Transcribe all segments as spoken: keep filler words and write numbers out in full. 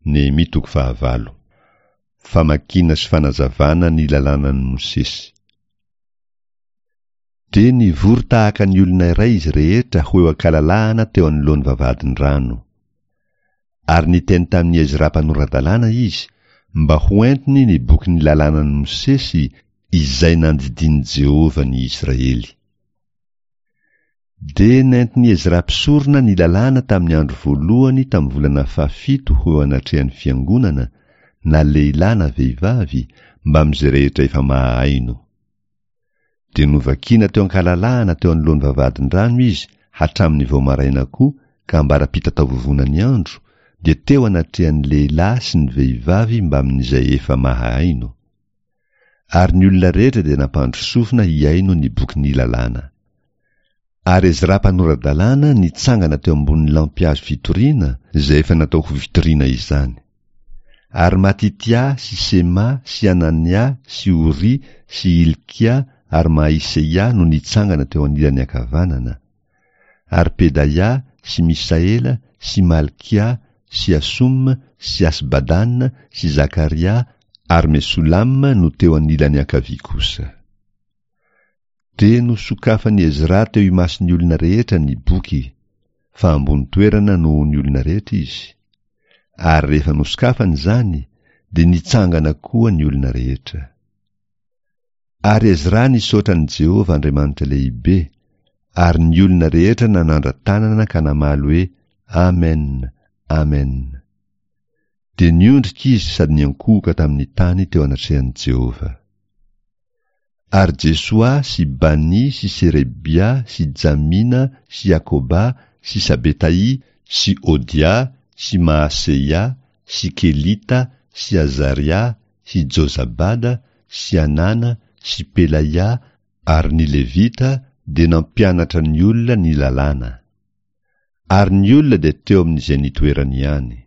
Nehemia toko fahavalo. Famakiana sy fanazavana ny lalànan'i Mosesy. Dia nivory tahaka ny olona iray izy rehetra ho eo an-kalalahana teo anoloan'ny vavahadin-drano. Ary niteny tamin'i Ezra mpanora-dalàna izy mba hoentiny ny bokin'ny lalànan'i Mosesy izay nandidian'i Jehovah ny Israely. Dia nentin'i Ezra mpisorona ny lalàna tamin'ny andro voalohany tamin'ny volana fahafito ho eo anatrehan'ny fiangonana, na lehilahy na vehivavy, mbamin'izay rehetra efa mahahaino. Dia novakina teo an-kalalahana teo anoloan'ny vavahadin-drano izy hatramin'ny vao maraina koa ka ambara-pitataovovonan'ny andro, dia teo anatrehan'ny lehilahy sy ny vehivavy mbamin'izay efa mahahaino. Ary ny olona rehetra dia nampandry sofina hihaino ny bokin'ny lalàna. Ary Ezra mpanora-dalàna nitsangana teo ambonin'ny lampihazo fitoriana izay efa natao ho fitoriana izany. Ary Matitia sy Sema sy Anania sy Oria sy Hilkia ary Mahiseia no nitsangana teo anilany ankavanana. Ary Pedaia sy Misaela sy Malkia sy Asoma sy Asbadana sy Zakaria ary Mesolama no teo anilany ankavia kosa. Dia nosokafan'i Ezra teo imason'ny olona rehetra ny boky, fa ambony toerana noho ny olona rehetra izy. Ary rehefa nosokafany izany, dia nitsangana koa ny olona rehetra. Ary Ezra nisaotra an'i Jehovah Andriamanitra lehibe, ary ny olona rehetra nanandra-tanana ka namaly hoe, Amen, Amen. Dia niondrika izy sady niankohoka tamin'ny tany teo anatrehan'i Jehovah. Ary Jesoa sy Bani sy Serebia sy Jamina sy Jakoba sy Sabetaì sy Odia sy Maaseia sy Kelita sy Azaria sy Jozabada sy Anana sy Pelaia ary ny Levita dia nampianatra ny olona ny lalàna. Ary ny olona dia teo amin'izay nitoerany ihany.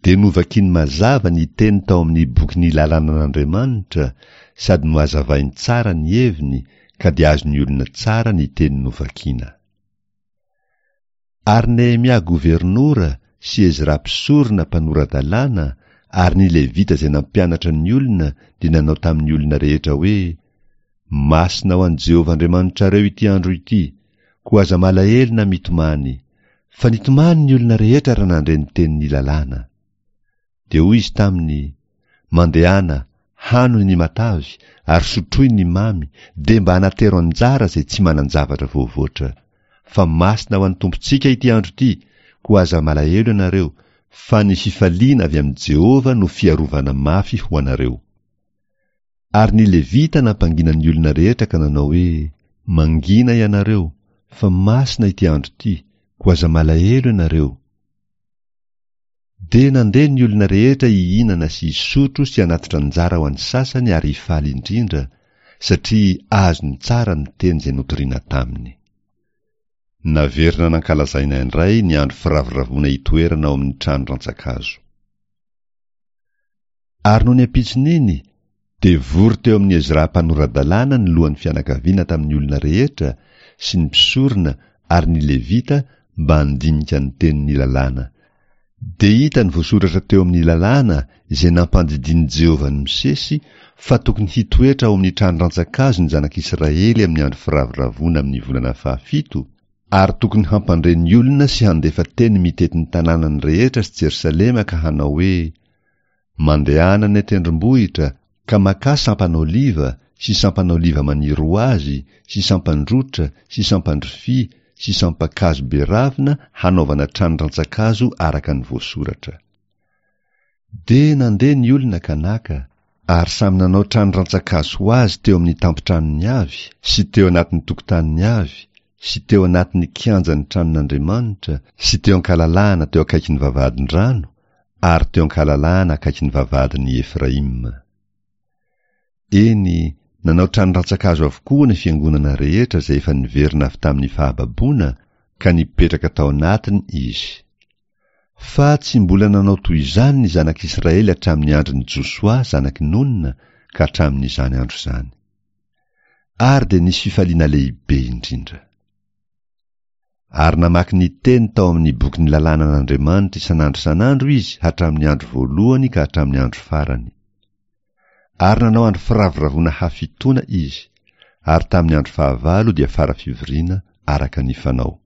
Dia novakiny mazava ny teny tao amin'ny bokin'ny lalànan'Andriamanitra sady nohazavainy tsara ny heviny ka dia azon'ny olona tsara ny teny novakina. Ary Nehemia governora sy Ezra mpisorona mpanora-dalàna ary ny Levita izay nampianatra ny olona dia nanao tamin'ny olona rehetra hoe, Masina ho an'i Jehovah Andriamanitrareo ity andro ity, koa aza malahelo na mitomany. Fa nitomany ny olona rehetra raha nandre ny tenin'ny lalàna. Dia hoy izy taminy, Mandehana, hano ny matavy, ary sotroy ny mamy, dia mba anatero anjara izay tsy manan-javatra voavoatra. Fa masina ho an'ny Tompontsika ity andro ity, koa aza malahelo ianareo, fa ny fifaliana avy amin'i Jehovah no fiarovana mafy ho anareo. Ary ny Levita nampangina ny olona rehetra ka nanao hoe, Mangina ianareo, fa masina ity andro ity, koa aza malahelo ianareo. Dia nandeha ny olona rehetra hihinana sy hisotro sy hanatitra anjara ho an'ny sasany ary hifaly indrindra, satria azony tsara ny teny izay notorina taminy. Naverina nankalazaina indray ny andro firavoravoana hitoerana ao amin'ny trano rantsan-kazo. Ary nony ampitson'iny, dia vory teo amin'i Ezra mpanora-dalàna ny lohan'ny fianakaviana tamin'ny olona rehetra sy ny mpisorona ary ny Levita mba handinika ny tenin'ny lalàna. Dia hitany voasoratra teo amin'ny lalàna izay nampandidian'i Jehovah an'i Mosesy fa tokony hitoetra ao amin'ny trano rantsan-kazo ny zanak'Israely amin'ny andro firavoravoana amin'ny volana fahafito, ary tokony hampandre ny olona sy handefa teny mitety ny tanànany rehetra sy Jerosalema ka hanao hoe, Mandehana any an-tendrombohitra ka makà sampan'oliva sy sampan'oliva maniry ho azy sy sampan-drotra sy sampan-drofia sy sampan-kazo be ravina hanaovana trano rantsan-kazo araka ny voasoratra. Dia nandeha ny olona ka naka, ary samy nanao trano rantsan-kazo ho azy teo amin'ny tampon-tranony avy sy teo anatin'ny tokotaniny avy sy teo anatin'ny kianjan'ny tranon'Andriamanitra sy teo an-kalalahana teo akaikin'ny vavahadin-drano ary teo an-kalalahana akaikin'ny vavahadin'i Efraima. Eny, nanao trano rantsan-kazo avokoa ny fiangonana rehetra izay efa niverina avy tamin'ny fahababoana ka nipetraka tao anatiny izy. Fa tsy mbola nanao toy izany ny zanak'Israely hatramin'ny andron'i Josoa zanak'i Nona ka hatramin'izany andro izany. Ary dia nisy fifaliana lehibe indrindra. Ary namaky ny teny tao amin'ny bokin'ny lalànan'Andriamanitra isan'andro isan'andro izy hatramin'ny andro voalohany ka hatramin'ny andro farany. Ary nanao andro firavoravoana hafitoana izy, ary tamin'ny andro fahavalo dia fara fivoriana araka ny fanao.